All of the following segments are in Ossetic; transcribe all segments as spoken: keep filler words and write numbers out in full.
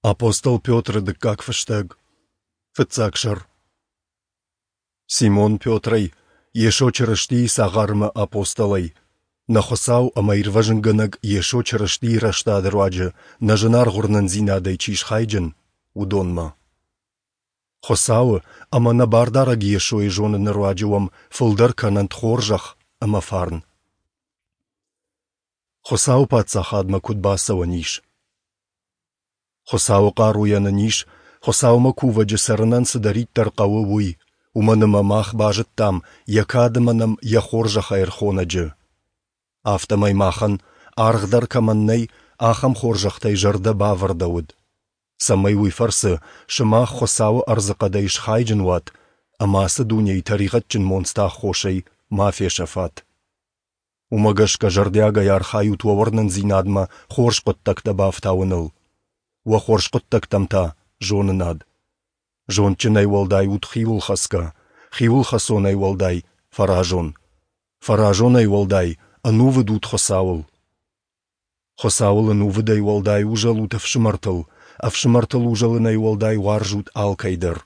Апостол Петры дыккаг фыстӕг, фыццаг сӕр. Симон Петрӕй, Йесо Чырыстийы цагъар ӕмӕ апостолӕй, нӕ Хуыцау ӕмӕ Ирвӕзынгӕнӕг Йесо Чырыстийы рӕстады руаджы нӕ зынаргъ уырнындзинадӕй чи схайджын, уыдонмӕ. Хуыцауы ӕмӕ нӕ Бардарӕг Йесойы зоныны руаджы уӕм фылдӕр кӕнӕнт хорзӕх ӕмӕ фарн. Хуыцауы Паддзахадмӕ куыд бацӕуӕн ис? Хуыцауы хъаруйӕ нын ис, Хуыцаумӕ кувӕджы цӕрынӕн цыдӕриддӕр хъӕуы, уый, уымӕн ӕмӕ мах базыдтам Йӕ кад ӕмӕ нӕм Йӕ хорзӕхӕй ӕрхонӕджы. Афтӕмӕй махӕн, аргъ дӕр кӕмӕн нӕй, ахӕм хорзӕхтӕй зӕрдӕ бавӕрдӕуыд, цӕмӕй уый фӕрцы сымах Хуыцауы ӕрдзыхъӕдӕй схайджын уат ӕмӕ ацы дунейы тӕригъӕдджын монцты аххосӕй ма фесӕфат. Уымӕ гӕсгӕ зӕрдиагӕй архайут уӕ уырнындзинадмӕ хорз хъуыддӕгтӕ бафтауыныл, уӕ хорз хъуыддӕгтӕм та зонынад. Зондджынӕй уӕлдай ут хиуылхӕцгӕ, хиуылхӕцонӕй уӕлдай фӕразон, фӕразонӕй уӕлдай ӕнувыд ут Хуыцауыл. Хуыцауыл ӕнувыдӕй уӕлдай узӕлут ӕфсымӕртыл, ӕфсымӕртыл узӕлынӕй уӕлдай уарзут алкӕй дӕр.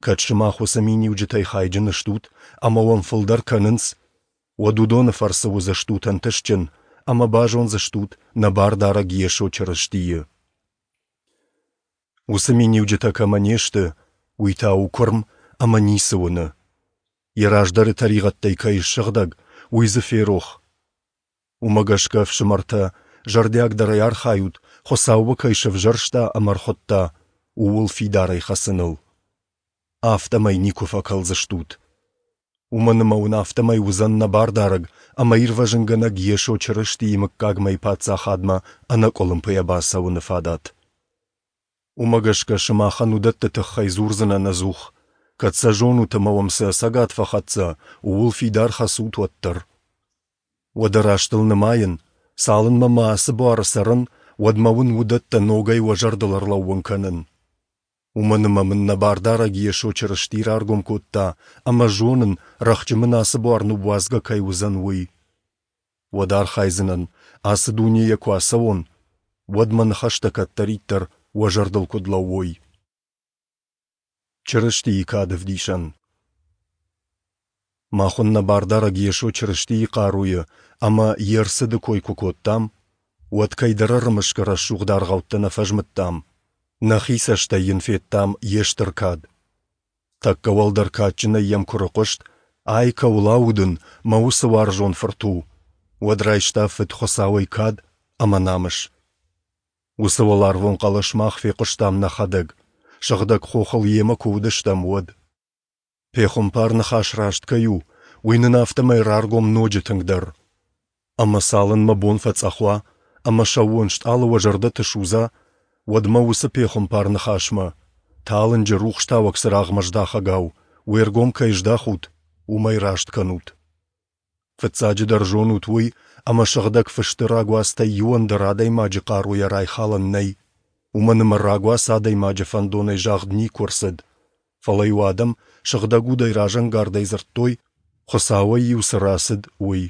Кӕд сымах уыцы миниуджытӕй хайджын стут ӕмӕ уӕм фылдӕр кӕнынц, уӕд уыдоны фӕрцы уыдзыстут ӕнтыстджын ӕмӕ базондзыстут нӕ Бардарӕг Йесо Чырыстийы. Уыцы миниуджытӕ кӕмӕ не сты, уый та у куырм ӕмӕ ницы уыны. Йӕ раздӕры тӕригъӕдтӕй кӕй ссыгъдӕг, уый дзы ферох. Уымӕ гӕсгӕ, ӕфсымӕртӕ, зӕрдиагдӕрӕй архайут, Хуыцау уӕ кӕй сӕвзӕрста ӕмӕ ӕрхуыдта, ууыл фидарӕй хӕцыныл. Афтӕмӕй никуы фӕкӕлдзыстут. Уымӕн ӕмӕ уын афтӕмӕй уыдзӕн нӕ Бардарӕг ӕмӕ Ирвӕзынгӕнӕг Йесо Чырыстийы мыггагмӕйы Паддзахадмӕ ӕнӕкъуылымпыйӕ бацӕуыны фадат. Уымӕ гӕсгӕ сымахӕн уыдӕтты тыххӕй дзурдзынӕн ӕдзух, кӕд сӕ зонут ӕмӕ уӕм цы ӕцӕгад фӕхӕццӕ, ууыл фидар хӕцут, уӕддӕр. Уӕдӕ рӕстыл нымайын, цалынмӕ ма ацы буары цӕрын, уӕдмӕ уын уыдӕттӕ ногӕй уӕ зӕрдыл ӕрлӕууын кӕнын. Уымӕн ӕмӕ мын нӕ Бардарӕг Йесо Чырысти раргом кодта ӕмӕ зонын, рӕхджы мын ацы буар ныууадзгӕ кӕй уыдзӕн, уый. Уӕд архайдзынӕн, ацы дунейӕ куы ацӕуон, уӕд мӕ ныхӕстӕ кӕддӕриддӕр уӕ зӕрдыл куыд лӕууой. Чырыстийы кады ӕвдисӕн. Мах уын нӕ Бардарӕг Йесо Чырыстийы хъаруйы ӕмӕ Йе рцыды кой куы кодтам, уӕд кӕйдӕр ӕрымысгӕ рӕсугъд аргъӕуттӕ нӕ фӕзмыдтам, нӕхи цӕстӕй йын федтам йе стыр кад. Тӕккӕ уӕлдӕр кадджынӕй йӕм куы рыхъуыст, ай кӕуыл аудын, мӕ уыцы уарзон фырт у, уӕд райста Фыд Хуыцауӕй кад ӕмӕ намыс. Уыцы уӕларвон хъӕлӕс мах фехъуыстам нӕхӕдӕг, сыгъдӕг хохыл йемӕ куы уыдыстӕм, уӕд. Пехуымпар ныхас раст кӕй у, уый нын афтӕмӕй раргом ноджы тынгдӕр. Ӕмӕ цалынмӕ бон фӕцъӕх уа ӕмӕ сӕууон стъалы уӕ зӕрдӕты судза, уӕдмӕ уыцы пехуымпар ныхасмӕ, талынджы рухстауӕг цырагъмӕ здахӕгау, уе ргом кӕй здахут, уымӕй раст кӕнут. Фыццаджыдӕр зонут уый, ӕмӕ сыгъдӕг фысты рагуацтӕй иуӕн дӕр адӕймаджы хъаруйӕ райхалӕн нӕй, уымӕн ӕмӕ рагуац адӕймаджы фӕндонӕй загъд никуы ӕрцыд, фӕлӕ-иу адӕм сыгъдӕг удӕй разӕнгардӕй дзырдтой, Хуыцауӕй-иу цы рацыд, уый.